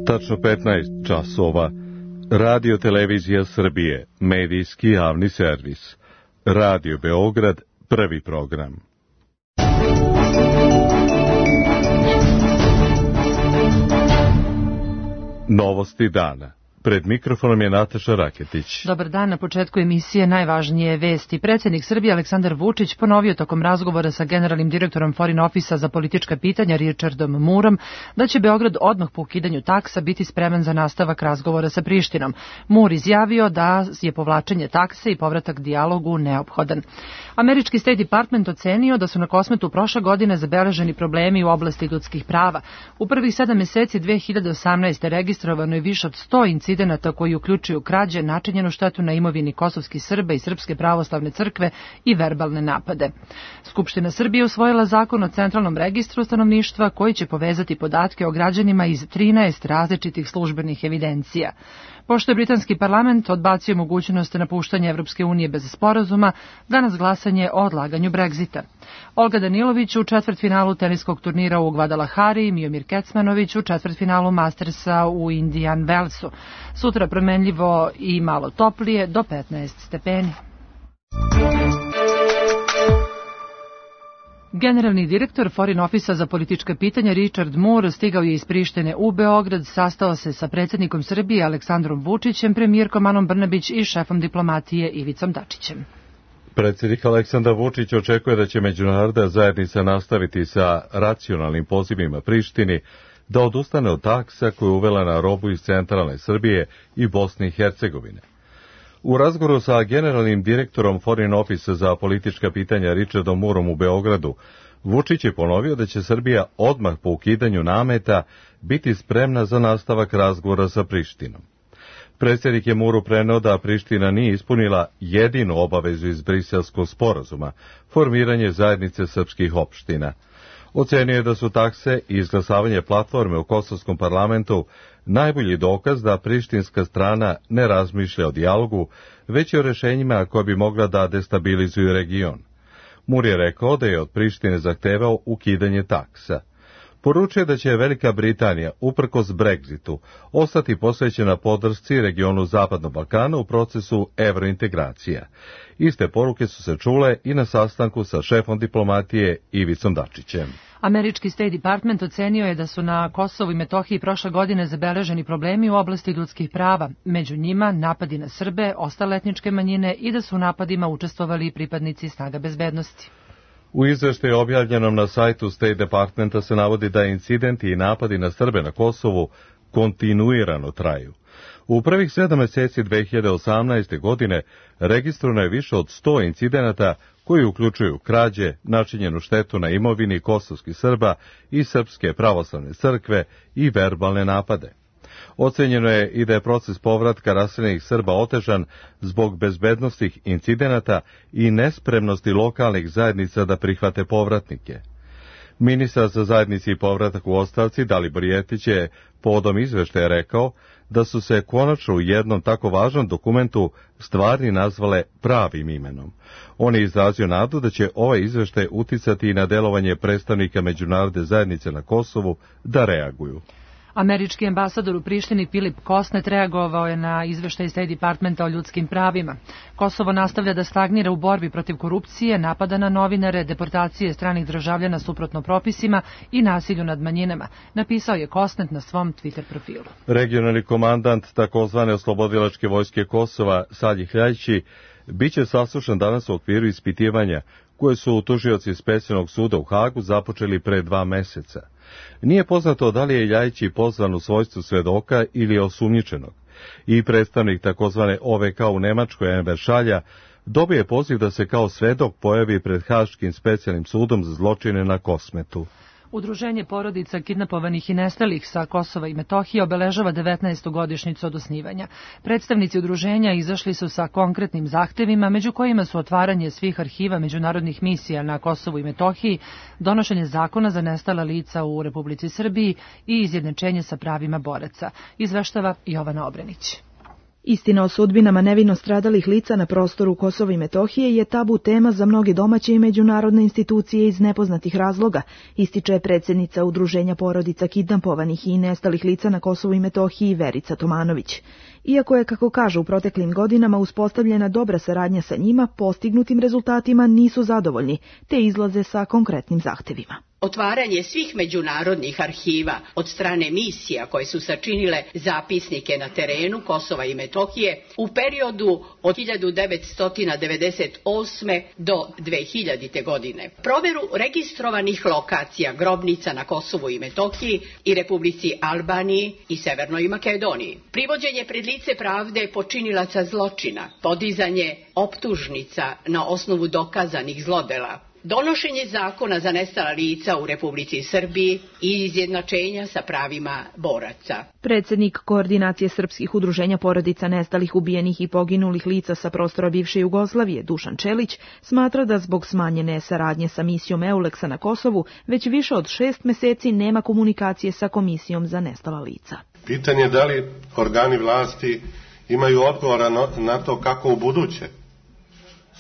Tačno 15 časova. Radio Televizija Srbije, medijski javni servis. Radio Beograd, prvi program. Novosti dana. Pred mikrofonom je Nataša Raketić. Dobar dan, na početku emisije najvažnije vesti. Predsjednik Srbije Aleksandar Vučić ponovio tokom razgovora sa generalnim direktorom Foreign Office za politička pitanja Richardom Moorom da će Beograd odmah po ukidanju taksa biti spreman za nastavak razgovora sa Prištinom. Moore izjavio da je povlačenje takse i povratak dijalogu neophodan. Američki State Department ocenio da su na Kosmetu prošle godine zabeleženi problemi u oblasti ljudskih prava. U prvih 7 meseci 2018. registrovano je više od 100 incidenata koji uključuju krađe, načinjenu štetu na imovini kosovskih Srba i Srpske pravoslavne crkve i verbalne napade. Skupština Srbije usvojila zakon o centralnom registru stanovništva koji će povezati podatke o građanima iz 13 različitih službenih evidencija. Pošto je britanski parlament odbacio mogućnost napuštanja Evropske unije bez sporazuma, danas glasanje o odlaganju Brexita. Olga Danilović u četvrtfinalu teniskog turnira u Guadalajari, Miomir Kecmanović u četvrtfinalu Mastersa u Indian Wellsu. Sutra promenljivo i malo toplije do 15 stepeni. Generalni direktor Foreign Office za politička pitanja Richard Moore stigao je iz Prištine u Beograd, sastao se sa predsjednikom Srbije Aleksandrom Vučićem, premijerkom Anom Brnabić i šefom diplomatije Ivicom Dačićem. Predsjednik Aleksandar Vučić očekuje da će međunarodna zajednica nastaviti sa racionalnim pozivima Prištini da odustane od taksa koju je uvela na robu iz centralne Srbije i Bosne i Hercegovine. U razgovoru sa generalnim direktorom Foreign Office za politička pitanja Richardom Moorom u Beogradu, Vučić je ponovio da će Srbija odmah po ukidanju nameta biti spremna za nastavak razgovora sa Prištinom. Predsjednik je Mooru preneo da Priština nije ispunila jedinu obavezu iz Briselskog sporazuma, formiranje zajednice srpskih opština. Ocenio je da su takse i izglasavanje platforme u kosovskom parlamentu najbolji dokaz da prištinska strana ne razmišlja o dijalogu, već i o rešenjima koja bi mogla da destabilizuju region. Moore je rekao da je od Prištine zahtevao ukidanje taksa. Poručuje da će Velika Britanija, uprkos Brexitu, ostati posvećena podršci regionu Zapadnog Balkana u procesu evrointegracija. Iste poruke su se čule i na sastanku sa šefom diplomatije Ivicom Dačićem. Američki State Department ocenio je da su na Kosovu i Metohiji prošle godine zabeleženi problemi u oblasti ljudskih prava, među njima napadi na Srbe, ostale etničke manjine i da su u napadima učestvovali pripadnici snaga bezbednosti. U izveštaju objavljenom na sajtu State Departmenta se navodi da incidenti i napadi na Srbe na Kosovu kontinuirano traju. U prvih 7 meseci 2018. godine registrovano je više od 100 incidenata koji uključuju krađe, načinjenu štetu na imovini kosovskih Srba i Srpske pravoslavne crkve i verbalne napade. Ocenjeno je i da je proces povratka raseljenih Srba otežan zbog bezbednosnih incidenata i nespremnosti lokalnih zajednica da prihvate povratnike. Ministar za zajednici i povratak u ostavci Dalibor Jetić je povodom izveštaja rekao da su se konačno u jednom tako važnom dokumentu stvari nazvale pravim imenom. On je izrazio nadu da će ovaj izveštaj uticati i na delovanje predstavnika međunarodne zajednice na Kosovu da reaguju. Američki ambasador u Prištini Filip Kosnet reagovao je na izveštaj State Departmenta o ljudskim pravima. Kosovo nastavlja da stagnira u borbi protiv korupcije, napada na novinare, deportacije stranih državljana suprotno propisima i nasilju nad manjinama, napisao je Kosnet na svom Twitter profilu. Regionalni komandant takozvane oslobodilačke vojske Kosova Salih Ljajići biće saslušan danas u okviru ispitivanja koje su tužioci Specijalnog suda u Hagu započeli pre 2 meseca. Nije poznato da li je Ljajići pozvan u svojstvu svedoka ili osumnjičenog. I predstavnik takozvane OVK u Nemačkoj Enver Šalja dobije poziv da se kao svedok pojavi pred Haškim specijalnim sudom za zločine na Kosmetu. Udruženje porodica kidnapovanih i nestalih sa Kosova i Metohije obeležava 19. godišnjicu od osnivanja. Predstavnici udruženja izašli su sa konkretnim zahtevima, među kojima su otvaranje svih arhiva međunarodnih misija na Kosovu i Metohiji, donošenje zakona za nestala lica u Republici Srbiji i izjednačenje sa pravima boraca, izveštava Jovana Obrenić. Istina o sudbinama nevino stradalih lica na prostoru Kosova i Metohije je tabu tema za mnoge domaće i međunarodne institucije iz nepoznatih razloga, ističe predsjednica Udruženja porodica kidnapovanih i nestalih lica na Kosovu i Metohiji Verica Tomanović. Iako je, kako kaže, u proteklim godinama uspostavljena dobra saradnja sa njima, postignutim rezultatima nisu zadovoljni, te izlaze sa konkretnim zahtevima. Otvaranje svih međunarodnih arhiva od strane misija koje su sačinile zapisnike na terenu Kosova i Metohije u periodu od 1998. do 2000. godine. Proveru registrovanih lokacija grobnica na Kosovu i Metohiji i Republici Albaniji i Severnoj Makedoniji. Privođenje pred lice pravde počinilaca zločina, podizanje optužnica na osnovu dokazanih zlodela, donošenje zakona za nestala lica u Republici Srbiji i izjednačenja sa pravima boraca. Predsjednik Koordinacije srpskih udruženja porodica nestalih, ubijenih i poginulih lica sa prostora bivše Jugoslavije, Dušan Čelić, smatra da zbog smanjene saradnje sa misijom EULEX-a na Kosovu već više od 6 meseci nema komunikacije sa Komisijom za nestala lica. Pitanje je da li organi vlasti imaju odgovora na to kako u buduće.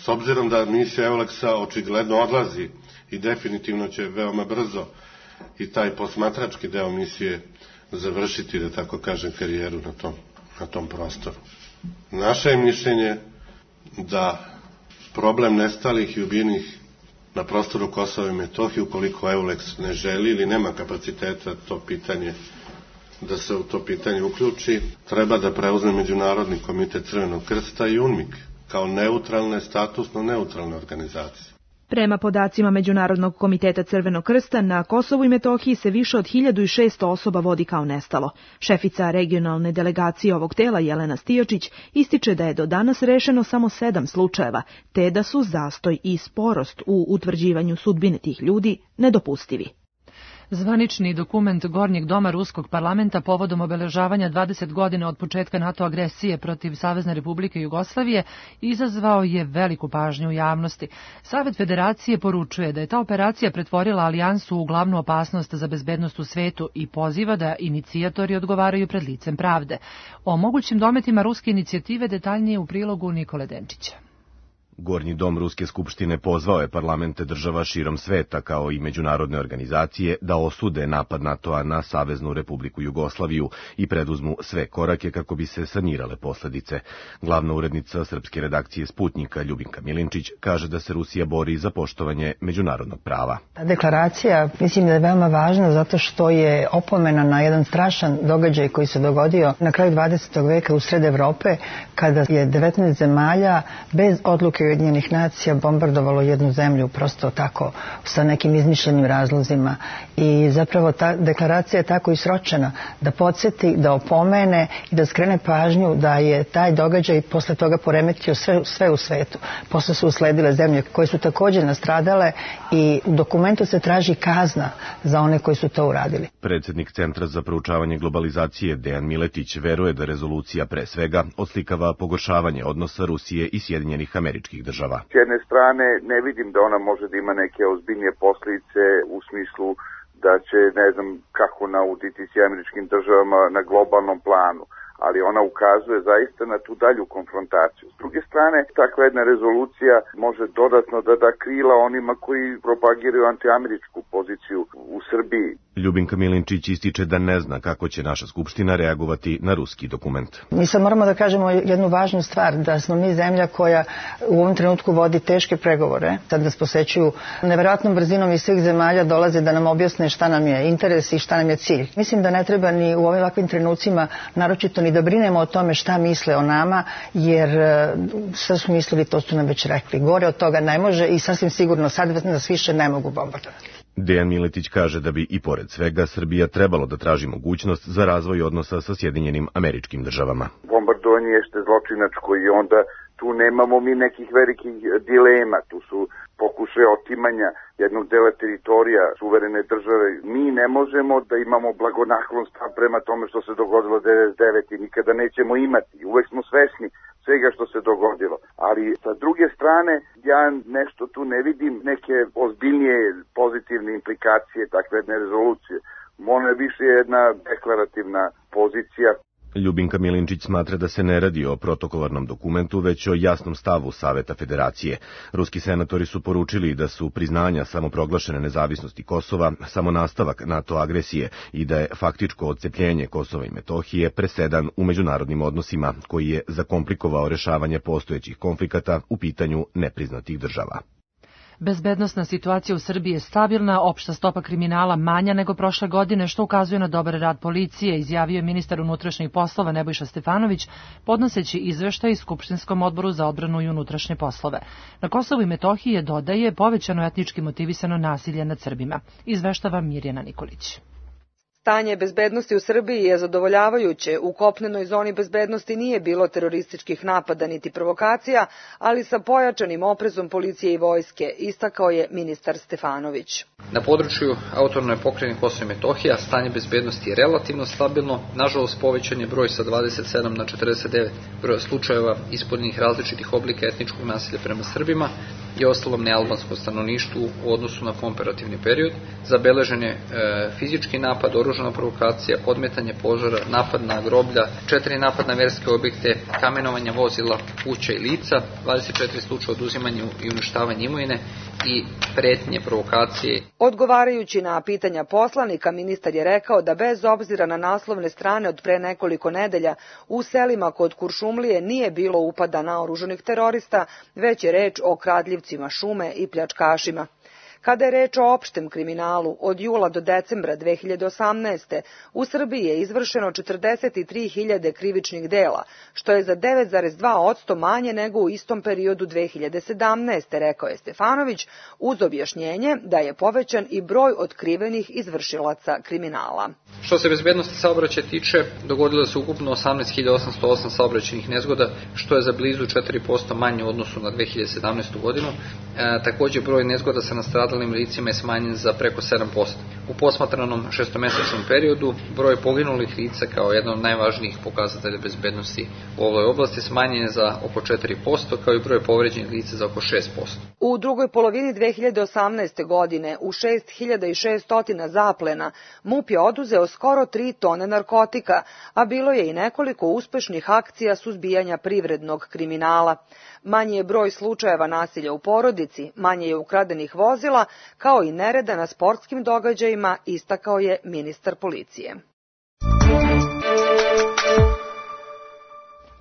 S obzirom da misija EULEX-a očigledno odlazi i definitivno će veoma brzo i taj posmatrački deo misije završiti, da tako kažem, karijeru na tom prostoru. Naše je mišljenje da problem nestalih i ubijenih na prostoru Kosova i Metohije, ukoliko EULEX ne želi ili nema kapaciteta da se u to pitanje uključi, treba da preuzme Međunarodni komitet Crvenog krsta i UNMIK kao statusno neutralne organizacije. Prema podacima Međunarodnog komiteta Crvenog krsta, na Kosovu i Metohiji se više od 1600 osoba vodi kao nestalo. Šefica regionalne delegacije ovog tela, Jelena Stijačić, ističe da je do danas rešeno samo 7 slučajeva, te da su zastoj i sporost u utvrđivanju sudbine tih ljudi nedopustivi. Zvanični dokument Gornjeg doma Ruskog parlamenta povodom obeležavanja 20 godina od početka NATO agresije protiv Savezne Republike Jugoslavije izazvao je veliku pažnju u javnosti. Savet Federacije poručuje da je ta operacija pretvorila alijansu u glavnu opasnost za bezbednost u svetu i poziva da inicijatori odgovaraju pred licem pravde. O mogućim dometima ruske inicijative detaljnije u prilogu Nikole Denčića. Gornji dom Ruske skupštine pozvao je parlamente država širom sveta, kao i međunarodne organizacije, da osude napad NATO-a na Saveznu Republiku Jugoslaviju i preduzmu sve korake kako bi se sanirale posledice. Glavna urednica srpske redakcije Sputnjika, Ljubinka Milinčić, kaže da se Rusija bori za poštovanje međunarodnog prava. Deklaracija mislim da je veoma važna zato što je opomena na jedan strašan događaj koji se dogodio na kraju 20. veka u sred Evrope, kada je 19 zemalja bez odluke Ujedinjenih nacija bombardovalo jednu zemlju prosto tako sa nekim izmišljenim razlozima. I zapravo ta deklaracija je tako i sročena da podsjeti, da opomene i da skrene pažnju da je taj događaj posle toga poremetio sve u svetu. Posle su usledile zemlje koje su također nastradale i u dokumentu se traži kazna za one koji su to uradili. Predsjednik Centra za proučavanje globalizacije Dejan Miletić veruje da rezolucija pre svega oslikava pogoršavanje odnosa Rusije i Sjedinjenih Američkih Država. S jedne strane ne vidim da ona može da ima neke ozbiljnije posljedice u smislu da će ne znam kako nauditi s Američkim Državama na globalnom planu, ali ona ukazuje zaista na tu dalju konfrontaciju. S druge strane, takva jedna rezolucija može dodatno da da krila onima koji propagiraju antiameričku poziciju u Srbiji. Ljubinka Milinčić ističe da ne zna kako će naša skupština reagovati na ruski dokument. Mi sad moramo da kažemo jednu važnu stvar, da smo mi zemlja koja u ovom trenutku vodi teške pregovore. Sad nas posećuju neverovatnom brzinom iz svih zemalja, dolaze da nam objasne šta nam je interes i šta nam je cilj. Mislim da ne treba ni u ovakvim trenucima naročito ni da brinemo o tome šta misle o nama, jer sve su mislili, to su nam već rekli. Gore od toga ne može i sasvim sigurno sad nas više ne mogu bombardovati. Dejan Miletić kaže da bi i pored svega Srbija trebalo da traži mogućnost za razvoj odnosa sa Sjedinjenim Američkim Državama. Bombardovanje je zločinačko i onda tu nemamo mi nekih velikih dilema, tu su pokušaje otimanja jednog dela teritorija suverene države. Mi ne možemo da imamo blagonaklon stav prema tome što se dogodilo 99 i nikada nećemo imati. Uvek smo svesni svega što se dogodilo. Ali sa druge strane ja nešto tu ne vidim neke ozbiljnije pozitivne implikacije takve jedne rezolucije. Ona je više jedna deklarativna pozicija. Ljubinka Milinčić smatra da se ne radi o protokolarnom dokumentu, već o jasnom stavu Saveta Federacije. Ruski senatori su poručili da su priznanja samoproglašene nezavisnosti Kosova samo nastavak NATO agresije i da je faktičko odcepljenje Kosova i Metohije presedan u međunarodnim odnosima koji je zakomplikovao rešavanje postojećih konflikata u pitanju nepriznatih država. Bezbednosna situacija u Srbiji je stabilna, opšta stopa kriminala manja nego prošle godine, što ukazuje na dobar rad policije, izjavio je ministar unutrašnjih poslova Nebojša Stefanović, podnoseći izveštaj Skupštinskom odboru za odbranu i unutrašnje poslove. Na Kosovu i Metohiji je, dodaje, povećano etnički motivisano nasilje nad Srbima. Izveštava Mirjana Nikolić. Stanje bezbednosti u Srbiji je zadovoljavajuće. U kopnenoj zoni bezbednosti nije bilo terorističkih napada niti provokacija, ali sa pojačanim oprezom policije i vojske, istakao je ministar Stefanović. Na području autonomne pokrajine Kosovo i Metohija stanje bezbednosti je relativno stabilno. Nažalost, povećan je broj sa 27 na 49 broja slučajeva ispodnjih različitih oblika etničkog nasilja prema Srbima i ostalom nealbanskom stanovništvu u odnosu na komparativni period. Zabeležen je fizički napad, oružana provokacija, podmetanje požara, napad na groblja, 4 napad na verske objekte, kamenovanja vozila, kuća i lica, 24 slučaja oduzimanja i uništavanja imovine i pretnje provokacije. Odgovarajući na pitanja poslanika, ministar je rekao da bez obzira na naslovne strane od pre nekoliko nedelja u selima kod Kuršumlije nije bilo upada naoružanih terorista, već je reč o kradljivcima šume i pljačkašima. Kada je reč o opštem kriminalu, od jula do decembra 2018. u Srbiji je izvršeno 43.000 krivičnih dela, što je za 9,2% manje nego u istom periodu 2017. rekao je Stefanović, uz objašnjenje da je povećan i broj otkrivenih izvršilaca kriminala. Što se bezbednosti saobraćaja tiče, dogodilo se ukupno 18.808 saobraćajnih nezgoda, što je za blizu 4% manje u odnosu na 2017. godinu. Također broj nezgoda sa nastradalim licima je smanjen za preko 7%. U posmatranom šestomesečnom periodu broj poginulih lica kao jedan od najvažnijih pokazatelja bezbednosti u ovoj oblasti smanjen je za oko 4%, kao i broj povređenih lica za oko 6%. U drugoj polovini 2018. godine u 6.600 zaplena MUP je oduzeo skoro 3 tone narkotika, a bilo je i nekoliko uspešnih akcija suzbijanja privrednog kriminala. Manji je broj slučajeva nasilja u porodici, manje je ukradenih vozila, kao i nereda na sportskim događajima, istakao je ministar policije.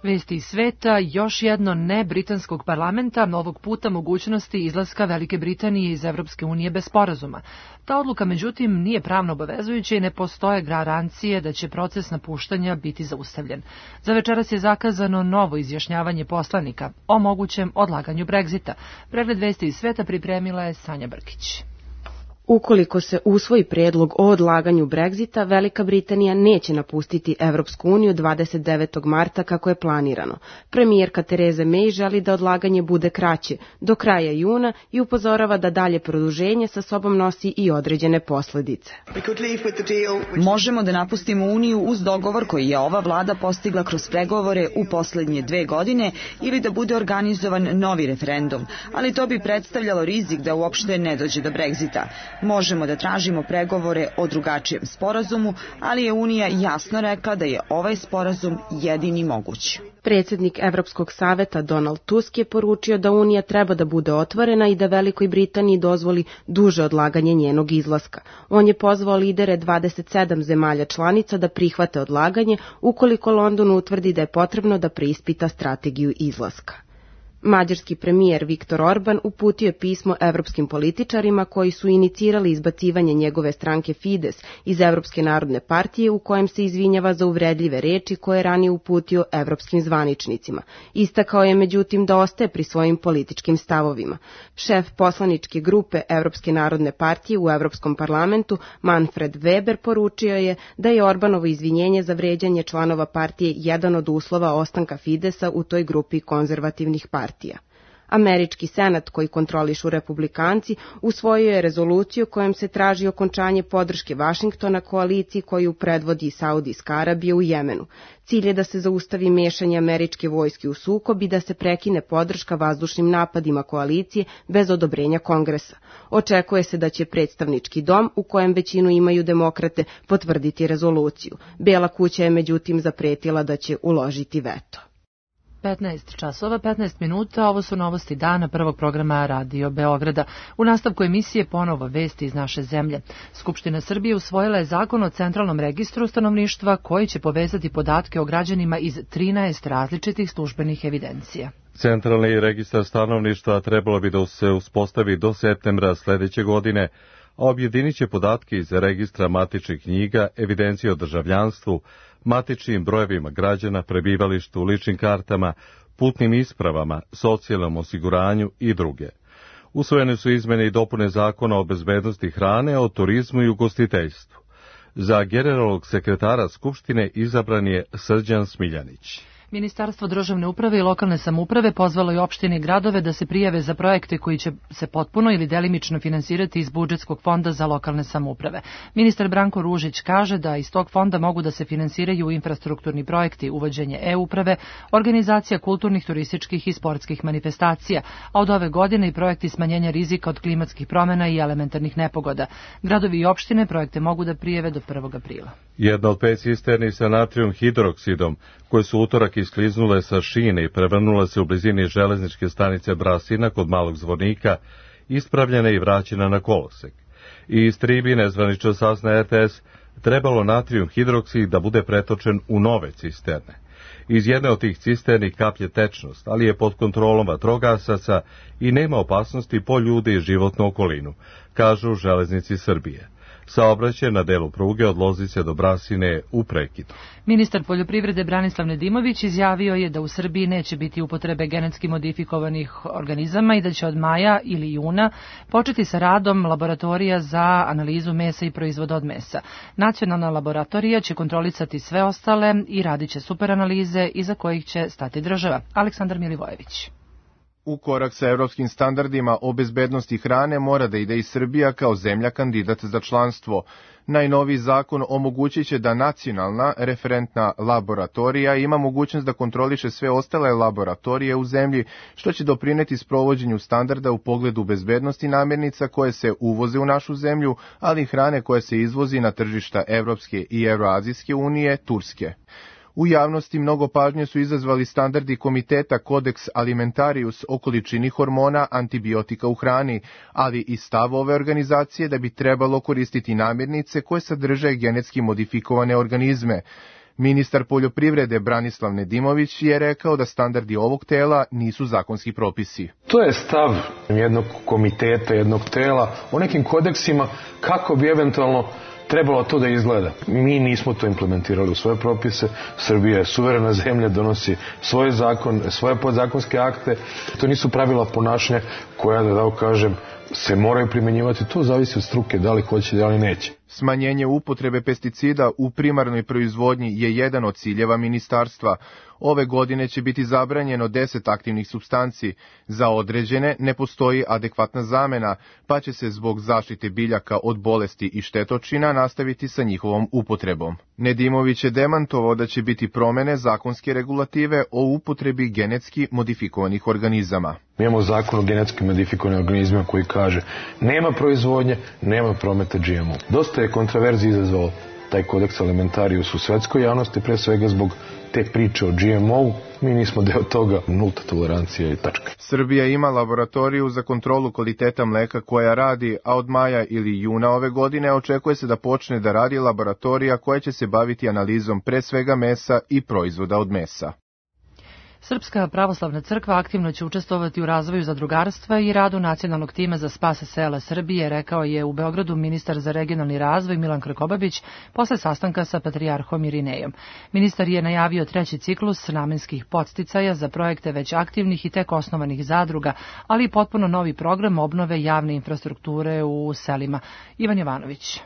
Vesti iz sveta, još jedno ne britanskog parlamenta, ovog puta mogućnosti izlaska Velike Britanije iz Evropske unije bez sporazuma. Ta odluka, međutim, nije pravno obavezujuća i ne postoje garancije da će proces napuštanja biti zaustavljen. Za večeras je zakazano novo izjašnjavanje poslanika o mogućem odlaganju Brexita. Pregled vesti iz sveta pripremila je Sanja Brkić. Ukoliko se usvoji predlog o odlaganju Brexita, Velika Britanija neće napustiti Evropsku uniju 29. marta kako je planirano. Premijerka Theresa May želi da odlaganje bude kraće, do kraja juna, i upozorava da dalje produženje sa sobom nosi i određene posledice. Možemo da napustimo uniju uz dogovor koji je ova vlada postigla kroz pregovore u poslednje 2 godine ili da bude organizovan novi referendum, ali to bi predstavljalo rizik da uopšte ne dođe do Brexita. Možemo da tražimo pregovore o drugačijem sporazumu, ali je Unija jasno rekla da je ovaj sporazum jedini moguć. Predsjednik Evropskog saveta Donald Tusk je poručio da Unija treba da bude otvorena i da Velikoj Britaniji dozvoli duže odlaganje njenog izlaska. On je pozvao lidere 27 zemalja članica da prihvate odlaganje ukoliko London utvrdi da je potrebno da preispita strategiju izlaska. Mađarski premijer Viktor Orban uputio je pismo evropskim političarima koji su inicirali izbacivanje njegove stranke Fides iz Evropske narodne partije, u kojem se izvinjava za uvredljive reči koje je ranije uputio evropskim zvaničnicima. Istakao je međutim da ostaje pri svojim političkim stavovima. Šef poslaničke grupe Evropske narodne partije u Evropskom parlamentu Manfred Weber poručio je da je Orbanovo izvinjenje za vređanje članova partije jedan od uslova ostanka Fidesa u toj grupi konzervativnih partija. Američki senat, koji kontrolišu republikanci, usvojio je rezoluciju kojom se traži okončanje podrške Vašingtona koaliciji koju predvodi Saudijska Arabija u Jemenu. Cilj je da se zaustavi mešanje američke vojske u sukob i da se prekine podrška vazdušnim napadima koalicije bez odobrenja Kongresa. Očekuje se da će predstavnički dom, u kojem većinu imaju demokrate, potvrditi rezoluciju. Bela kuća je međutim zapretila da će uložiti veto. 15 časova, 15 minuta, ovo su novosti dana prvog programa Radio Beograda. U nastavku emisije ponovo vesti iz naše zemlje. Skupština Srbije usvojila je zakon o centralnom registru stanovništva koji će povezati podatke o građanima iz 13 različitih službenih evidencija. Centralni registar stanovništva trebalo bi da se uspostavi do septembra sledeće godine, a objedinit će podatke iz registra matičnih knjiga, evidencije o državljanstvu, matičnim brojevima građana, prebivalištu, ličnim kartama, putnim ispravama, socijalnom osiguranju i druge. Usvojene su izmene i dopune zakona o bezbednosti hrane, o turizmu i ugostiteljstvu. Za generalnog sekretara Skupštine izabran je Srđan Smiljanić. Ministarstvo državne uprave i lokalne samouprave pozvalo je opštine i gradove da se prijave za projekte koji će se potpuno ili delimično finansirati iz budžetskog fonda za lokalne samouprave. Ministar Branko Ružić kaže da iz tog fonda mogu da se finansiraju infrastrukturni projekti, uvođenje e-uprave, organizacija kulturnih, turističkih i sportskih manifestacija, a od ove godine i projekti smanjenja rizika od klimatskih promjena i elementarnih nepogoda. Gradovi i opštine projekte mogu da prijave do 1. aprila. Jedna od 5 cisterni sa natrijum hidroksidom, koje su utorak iskliznule sa šine i prevrnule se u blizini železničke stanice Brasina kod Malog Zvornika, ispravljena i vraćena na kolosek. I iz tribine zvanično sazna RTS trebalo natrijum hidroksid da bude pretočen u nove cisterne. Iz jedne od tih cisterni kaplje tečnost, ali je pod kontrolom vatrogasaca i nema opasnosti po ljude i životnu okolinu, kažu Železnici Srbije. Saobraćaj na delu pruge od Loznice do Brasine u prekidu. Ministar poljoprivrede Branislav Nedimović izjavio je da u Srbiji neće biti upotrebe genetski modifikovanih organizama i da će od maja ili juna početi sa radom laboratorija za analizu mesa i proizvoda od mesa. Nacionalna laboratorija će kontrolisati sve ostale i radit će super analize iza kojih će stati država. Aleksandar Milivojević. U korak sa evropskim standardima o bezbednosti hrane mora da ide i Srbija kao zemlja kandidat za članstvo. Najnoviji zakon omogućit će da nacionalna referentna laboratorija ima mogućnost da kontroliše sve ostale laboratorije u zemlji, što će doprineti sprovođenju standarda u pogledu bezbednosti namirnica koje se uvoze u našu zemlju, ali i hrane koje se izvozi na tržišta Evropske i Evroazijske unije, Turske. U javnosti mnogo pažnje su izazvali standardi komiteta Codex Alimentarius o količini hormona antibiotika u hrani, ali i stav ove organizacije da bi trebalo koristiti namirnice koje sadrže genetski modifikovane organizme. Ministar poljoprivrede Branislav Nedimović je rekao da standardi ovog tela nisu zakonski propisi. To je stav jednog komiteta, jednog tela o nekim kodeksima kako bi eventualno trebalo to da izgleda. Mi nismo to implementirali u svoje propise. Srbija je suverena zemlja, donosi svoje zakon, svoje podzakonske akte. To nisu pravila ponašanja koja, da kažem, se moraju primjenjivati. To zavisi od struke, da li hoće, da li neće. Smanjenje upotrebe pesticida u primarnoj proizvodnji je jedan od ciljeva ministarstva. Ove godine će biti zabranjeno 10 aktivnih supstanci. Za određene ne postoji adekvatna zamena, pa će se zbog zaštite biljaka od bolesti i štetočina nastaviti sa njihovom upotrebom. Nedimović je demantovao da će biti promene zakonske regulative o upotrebi genetski modifikovanih organizama. Mi imamo zakon o genetski modifikovanim organizmima koji kaže nema proizvodnje, nema prometa GMO. Dosta je kontraverzije izazvao taj kodeks alimentarius u svetskoj javnosti, pre svega zbog te priče o GMO-u. Mi nismo deo toga, nulta tolerancija i tačka. Srbija ima laboratoriju za kontrolu kvaliteta mleka koja radi, a od maja ili juna ove godine očekuje se da počne da radi laboratorija koja će se baviti analizom pre svega mesa i proizvoda od mesa. Srpska pravoslavna crkva aktivno će učestvovati u razvoju zadrugarstva i radu nacionalnog tima za spas sela Srbije, rekao je u Beogradu ministar za regionalni razvoj Milan Krkobabić posle sastanka sa patrijarhom Irinejom. Ministar je najavio 3. ciklus namenskih podsticaja za projekte već aktivnih i tek osnovanih zadruga, ali i potpuno novi program obnove javne infrastrukture u selima. Ivan Jovanović.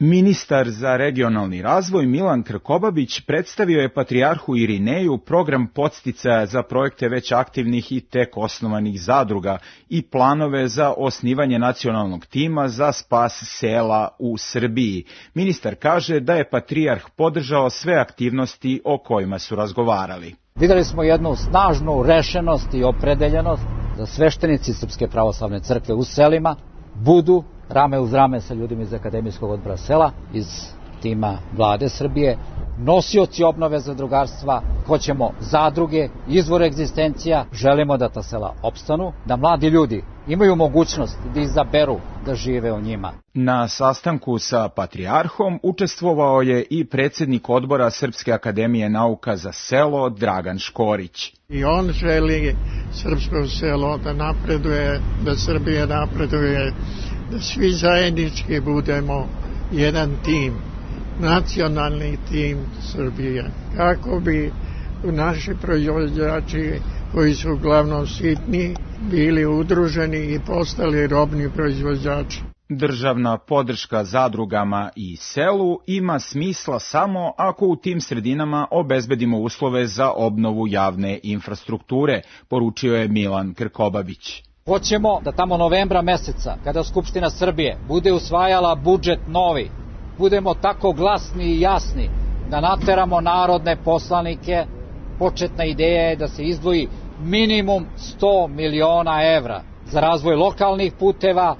Ministar za regionalni razvoj Milan Krkobabić predstavio je patrijarhu Irineju program podsticaja za projekte već aktivnih i tek osnovanih zadruga i planove za osnivanje nacionalnog tima za spas sela u Srbiji. Ministar kaže da je patrijarh podržao sve aktivnosti o kojima su razgovarali. Videli smo jednu snažnu rešenost i opredeljenost da sveštenici Srpske pravoslavne crkve u selima budu rame uz rame sa ljudima iz Akademijskog odbora sela, iz tima Vlade Srbije, nosioci obnove zadrugarstva, hoćemo zadruge, izvor egzistencija, želimo da ta sela opstanu, da mladi ljudi imaju mogućnost da izaberu da žive u njima. Na sastanku sa patrijarhom učestvovao je i predsjednik odbora Srpske akademije nauka za selo Dragan Škorić. I on želi srpsko selo da napreduje, da Srbija napreduje, da svi zajednički budemo jedan tim, nacionalni tim Srbije, kako bi naši proizvođači koji su uglavnom sitni bili udruženi i postali robni proizvođači. Državna podrška zadrugama i selu ima smisla samo ako u tim sredinama obezbedimo uslove za obnovu javne infrastrukture, poručio je Milan Krkobabić. Hoćemo da tamo novembra meseca, kada Skupština Srbije bude usvajala budžet novi, budemo tako glasni i jasni da nateramo narodne poslanike. Početna ideja je da se izdvoji minimum 100 miliona evra za razvoj lokalnih puteva,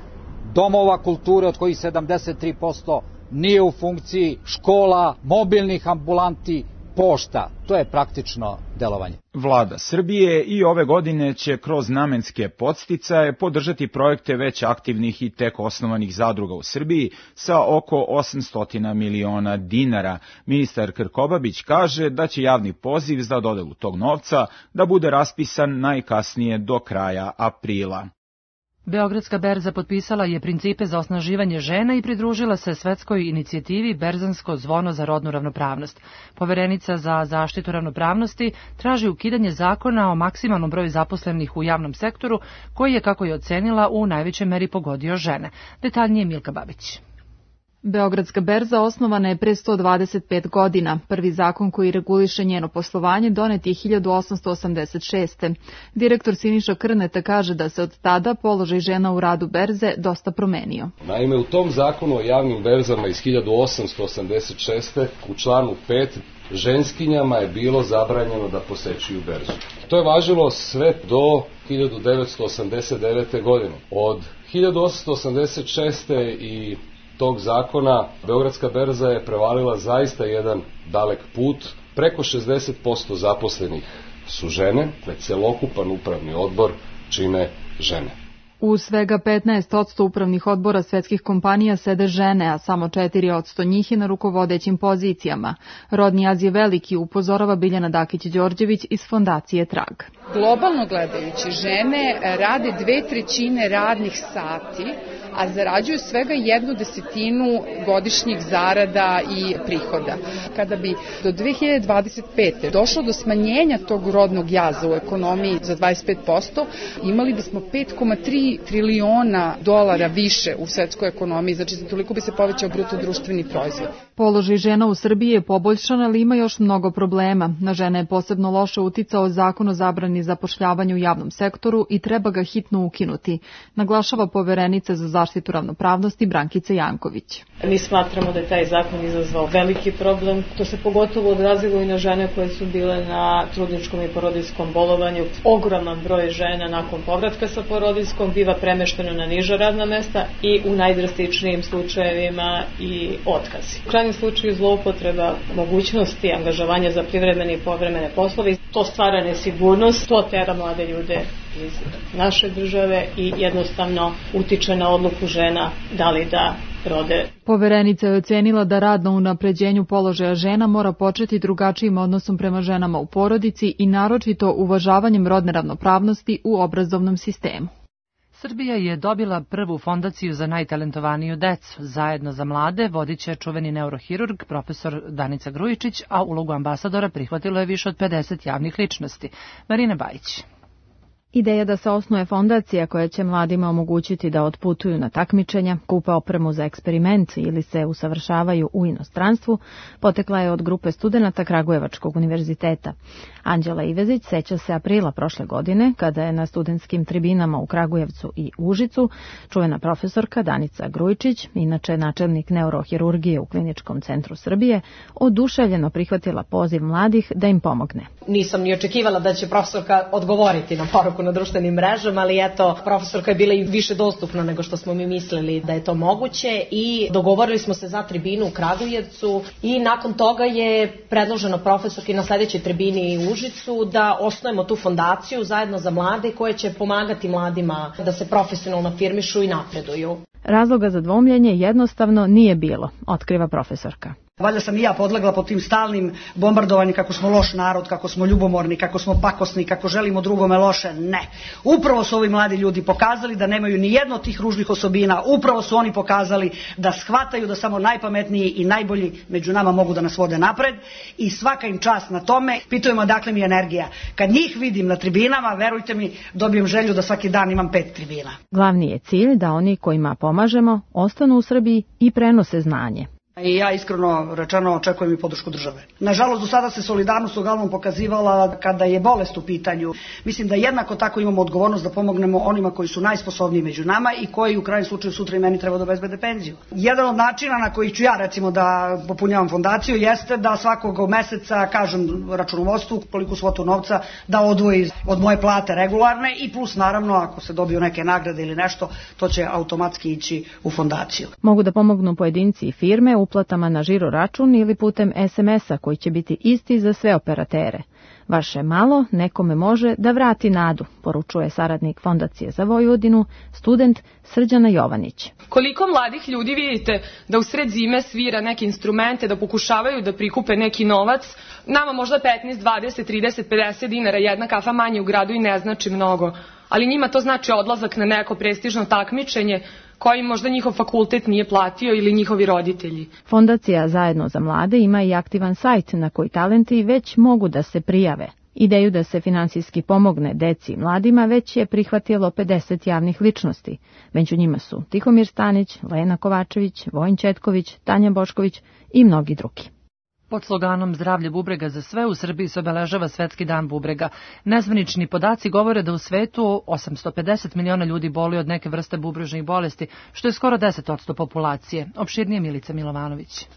domova kulture od kojih 73% nije u funkciji, škola, mobilnih ambulanti, pošta. To je praktično delovanje. Vlada Srbije i ove godine će kroz namenske podsticaje podržati projekte već aktivnih i tek osnovanih zadruga u Srbiji sa oko 800 miliona dinara. Ministar Krkobabić kaže da će javni poziv za dodelu tog novca da bude raspisan najkasnije do kraja aprila. Beogradska berza potpisala je principe za osnaživanje žena i pridružila se svetskoj inicijativi Berzansko zvono za rodnu ravnopravnost. Poverenica za zaštitu ravnopravnosti traži ukidanje zakona o maksimalnom broju zaposlenih u javnom sektoru, koji je, kako je ocenila, u najvećoj meri pogodio žene. Detaljnije Milka Babić. Beogradska berza osnovana je pre 125 godina. Prvi zakon koji reguliše njeno poslovanje donet je 1886. Direktor Siniša Krneta kaže da se od tada položaj žena u radu berze dosta promenio. Naime, u tom zakonu o javnim berzama iz 1886. u članu 5 ženskinjama je bilo zabranjeno da posećuju berzu. To je važilo sve do 1989. godine. Od 1886. i tog zakona Beogradska berza je prevalila zaista jedan dalek put. Preko 60% zaposlenih su žene, već celokupan upravni odbor čine žene. U svega 15% upravnih odbora svetskih kompanija sede žene, a samo 4% njih je na rukovodećim pozicijama. Rodni jaz je veliki, upozorava Biljana Dakić-Đorđević iz fondacije Trag. Globalno gledajući, žene rade 2/3 radnih sati, a zarađuju svega 1/10 godišnjih zarada i prihoda. Kada bi do 2025. došlo do smanjenja tog rodnog jaza u ekonomiji za 25%, imali bismo 5,3 triliona dolara više u svetskoj ekonomiji, znači toliko bi se povećao bruto društveni proizvod. Položaj žena u Srbiji je poboljšan, ali ima još mnogo problema. Na žene je posebno loše uticao zakon o zabrani zapošljavanja u javnom sektoru i treba ga hitno ukinuti, naglašava poverenica za zaštitu ravnopravnosti Brankica Janković. Mi smatramo da je taj zakon izazvao veliki problem. To se pogotovo odrazilo i na žene koje su bile na trudničkom i porodiljskom bolovanju. Ogroman broj žena nakon povratka sa porodiljskom biva premešteno na niža radna mesta i u najdrastičnijim slučajevima i otkazi. U krajnjem slučaju zloupotreba mogućnosti angažovanja za privremene i povremene poslove. To stvara nesigurnost, to tera mlade ljude iz naše države i jednostavno utiče na odluku žena da li da rode. Poverenica je ocenila da rad na unapređenju položaja žena mora početi drugačijim odnosom prema ženama u porodici i naročito uvažavanjem rodne ravnopravnosti u obrazovnom sistemu. Srbija je dobila prvu fondaciju za najtalentovaniju decu. Zajedno za mlade vodit će čuveni neurohirurg profesor Danica Grujičić, a ulogu ambasadora prihvatilo je više od 50 javnih ličnosti. Marina Bajić. Ideja da se osnuje fondacija koja će mladima omogućiti da otputuju na takmičenja, kupe opremu za eksperiment ili se usavršavaju u inostranstvu, potekla je od grupe studenata Kragujevačkog univerziteta. Anđela Ivezić seća se aprila prošle godine, kada je na studentskim tribinama u Kragujevcu i Užicu čuvena profesorka Danica Grujičić, inače načelnik neurohirurgije u Kliničkom centru Srbije, oduševljeno prihvatila poziv mladih da im pomogne. Nisam ni očekivala da će profesorka odgovoriti na poruku na društvenim mrežama, ali eto, profesorka je bila i više dostupna nego što smo mi mislili da je to moguće i dogovorili smo se za tribinu u Kragujevcu i nakon toga je predloženo profesorki na sledećoj tribini u Užicu da osnujemo tu fondaciju zajedno za mlade koje će pomagati mladima da se profesionalno afirmišu i napreduju. Razloga za dvomljenje jednostavno nije bilo, otkriva profesorka. Valjda sam i ja podlegla pod tim stalnim bombardovanjem kako smo loš narod, kako smo ljubomorni, kako smo pakosni, kako želimo drugome loše. Ne. Upravo su ovi mladi ljudi pokazali da nemaju ni jedno od tih ružnih osobina. Upravo su oni pokazali da shvataju da samo najpametniji i najbolji među nama mogu da nas vode napred i svaka im čast na tome. Pitujemo odakle mi energija. Kad njih vidim na tribinama, verujte mi, dobijem želju da svaki dan imam 5 tribina. Glavni je cilj da oni kojima pomažemo ostanu u Srbiji i prenose znanje. I ja iskreno rečeno očekujem i podršku države. Nažalost, do sada se solidarnost uglavnom pokazivala kada je bolest u pitanju. Mislim da jednako tako imamo odgovornost da pomognemo onima koji su najsposobniji među nama i koji u krajnjem slučaju sutra i meni treba da obezbede penziju. Jedan od načina na koji ću ja recimo da popunjavam fondaciju jeste da svakog meseca kažem računovodstvu koliko svotu novca da odvoji od moje plate regularne i plus naravno ako se dobiju neke nagrade ili nešto, to će automatski ići u fondaciju. Mogu da pomognu pojedinci i firme uplatama na žiro račun ili putem SMS-a koji će biti isti za sve operatere. Vaše malo nekome može da vrati nadu, poručuje saradnik Fondacije za Vojvodinu, student Srđana Jovanić. Koliko mladih ljudi vidite da u sred zime svira neke instrumente, da pokušavaju da prikupe neki novac, nama možda 15, 20, 30, 50 dinara jedna kafa manje u gradu i ne znači mnogo, ali njima to znači odlazak na neko prestižno takmičenje koji možda njihov fakultet nije platio ili njihovi roditelji. Fondacija Zajedno za mlade ima i aktivan sajt na koji talenti već mogu da se prijave. Ideju da se finansijski pomogne deci i mladima već je prihvatilo 50 javnih ličnosti. Među njima su Tihomir Stanić, Lena Kovačević, Vojin Četković, Tanja Bošković i mnogi drugi. Pod sloganom Zdravlje bubrega za sve u Srbiji se obeležava Svetski dan bubrega. Nezvanični podaci govore da u svetu 850 miliona ljudi boluje od neke vrste bubrežnih bolesti, što je skoro 10% populacije. Opširnije Milica Milovanović.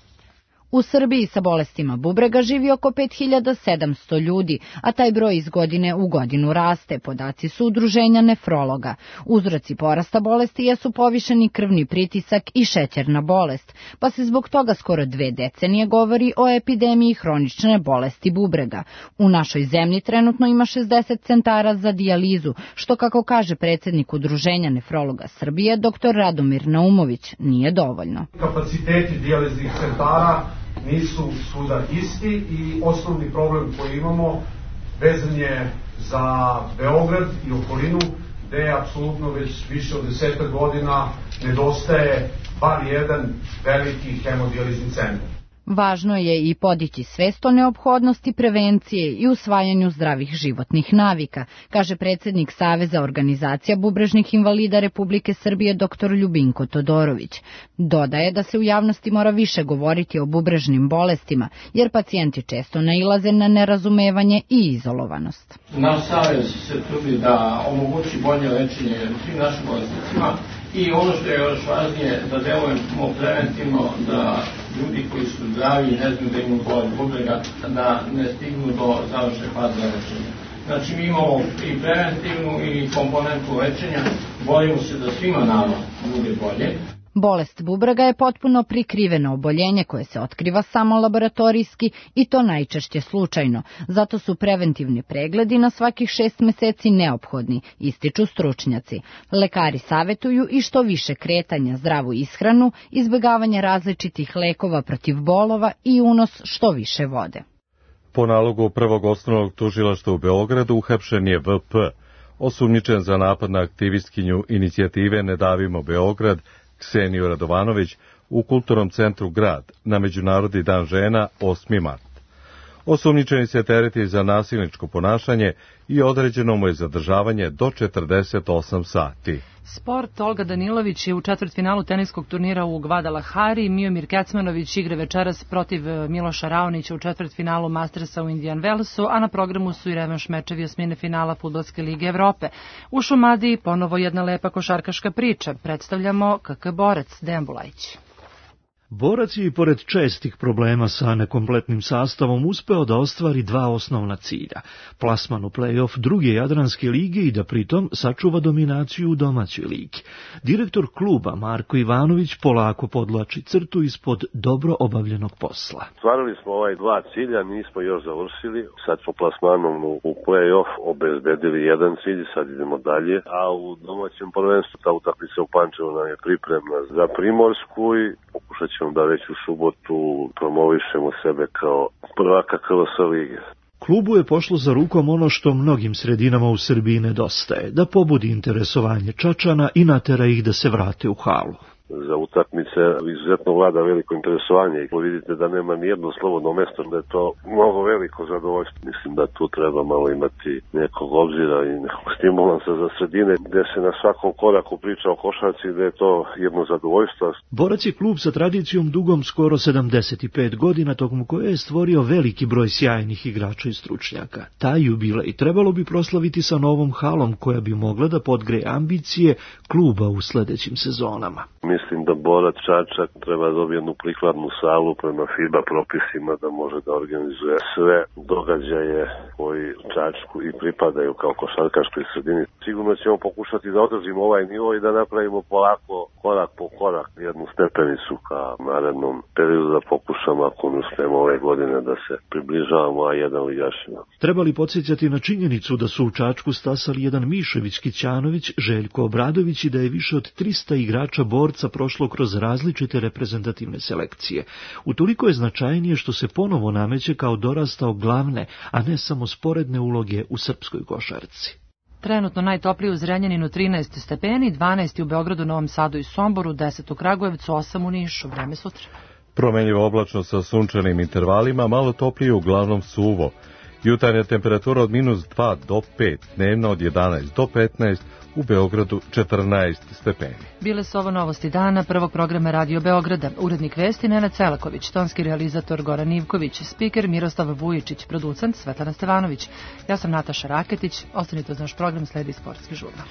U Srbiji sa bolestima bubrega živi oko 5700 ljudi, a taj broj iz godine u godinu raste, podaci su udruženja nefrologa. Uzroci porasta bolesti jesu povišeni krvni pritisak i šećerna bolest, pa se zbog toga skoro 2 decenije govori o epidemiji hronične bolesti bubrega. U našoj zemlji trenutno ima 60 centara za dijalizu, što, kako kaže predsjednik Udruženja nefrologa Srbije, dr. Radomir Naumović, nije dovoljno. Kapaciteti dijaliznih centara nisu svuda isti i osnovni problem koji imamo vezan je za Beograd i okolinu, gde je apsolutno već više od 10 godina nedostaje bar jedan veliki hemodijalizni centar. Važno je i podići svest o neophodnosti prevencije i usvajanju zdravih životnih navika, kaže predsjednik Saveza organizacija bubrežnih invalida Republike Srbije dr. Ljubinko Todorović. Dodaje da se u javnosti mora više govoriti o bubrežnim bolestima, jer pacijenti često nailaze na nerazumevanje i izolovanost. Naš savez se trudi da omogući bolje lečenje svim našim bolesnicima i ono što je još važnije, da delujemo preventivno, da ljudi koji su zdravi i ne znaju da imaju bolest bubrega, da ne stignu do završne faze lečenja. Znači mi imamo i preventivnu i komponentu lečenja, borimo se da svima nama bude bolje. Bolest bubrega je potpuno prikriveno oboljenje koje se otkriva samo laboratorijski i to najčešće slučajno. Zato su preventivni pregledi na svakih 6 meseci neophodni, ističu stručnjaci. Lekari savetuju i što više kretanja, zdravu ishranu, izbjegavanje različitih lekova protiv bolova i unos što više vode. Po nalogu prvog osnovnog tužilaštva u Beogradu uhapšen je VP, osumnjičen za napad na aktivistkinju inicijative Ne davimo Beograd, Kseniju Radovanović, u Kulturnom centru Grad na Međunarodni dan žena 8. mart. Osumnjičeni se tereti za nasilničko ponašanje i određeno mu je zadržavanje do 48 sati. Sport. Olga Danilović je u četvrtfinalu teniskog turnira u Guadalajari. Miomir Kecmanović igre večeras protiv Miloša Raonića u četvrtfinalu Mastersa u Indian Wellsu, a na programu su i revanš mečevi osmine finala Fudbalske lige Evrope. U Šumadiji ponovo jedna lepa košarkaška priča. Predstavljamo KK Borac, Dejan Bulajić. Borac je i pored čestih problema sa nekompletnim sastavom uspeo da ostvari dva osnovna cilja, plasman u play-off druge Jadranske lige i da pritom sačuva dominaciju u domaćoj ligi. Direktor kluba Marko Ivanović polako podlači crtu ispod dobro obavljenog posla. Stvarili smo dva cilja, nismo još završili, sad smo plasmanom u play-off obezbedili jedan cilj, sad idemo dalje, a u domaćem prvenstvu ta utakmica u Pančevu nam je pripremna za Primorsku i pokušat ćemo da već u subotu promovišemo sebe kao prvaka KLS lige. Klubu je pošlo za rukom ono što mnogim sredinama u Srbiji nedostaje, da pobudi interesovanje Čačana i natera ih da se vrate u halu. Za utakmice izuzetno vlada veliko interesovanje i vidite da nema ni jedno slobodno mesto, da je to mnogo veliko zadovoljstvo. Mislim da tu treba malo imati nekog obzira i nekog stimulansa za sredine gde se na svakom koraku priča o košarci, da je to jedno zadovoljstvo. Borac je klub sa tradicijom dugom skoro 75 godina, tokom koje je stvorio veliki broj sjajnih igrača i stručnjaka. Taj jubilej trebalo bi proslaviti sa novom halom koja bi mogla da podgreje ambicije kluba u sledećim sezonama. Mislim da Borac Čačak treba da dobije jednu prikladnu salu prema FIBA propisima da može da organizuje sve događaje koji Čačku i pripadaju kao košarkaškoj sredini. Sigurno ćemo pokušati da održimo ovaj nivo i da napravimo polako, korak po korak, jednu stepenicu ka narednom periodu da pokušamo, ako ne uspemo ove godine, da se približavamo A1 ligašima. Treba li podsjećati na činjenicu da su u Čačku stasali jedan Mišević, Kićanović, Željko Obradović i da je više od 300 igrača Borca prošlo kroz različite reprezentativne selekcije. Utoliko je značajnije što se ponovo nameće kao dorastao glavne, a ne samo sporedne uloge u srpskoj košarci. Trenutno najtoplije u Zrenjaninu 13 stepeni, 12 u Beogradu, Novom Sadu i Somboru, 10 u Kragujevcu, 8 u Nišu. Vreme sutra. Promenljivo oblačno sa sunčanim intervalima, malo toplije, uglavnom suvo. Jutarnja temperatura od -2 do 5, dnevna od 11 do 15, u Beogradu 14 stepeni. Bile su ovo novosti dana prvog programa Radio Beograda. Urednik vesti Nenad Celaković, tonski realizator Goran Ivković, spiker Miroslav Vujičić, producent Svetlana Stevanović. Ja sam Nataša Raketić, ostanite uz naš program, sledi sportski žurnal.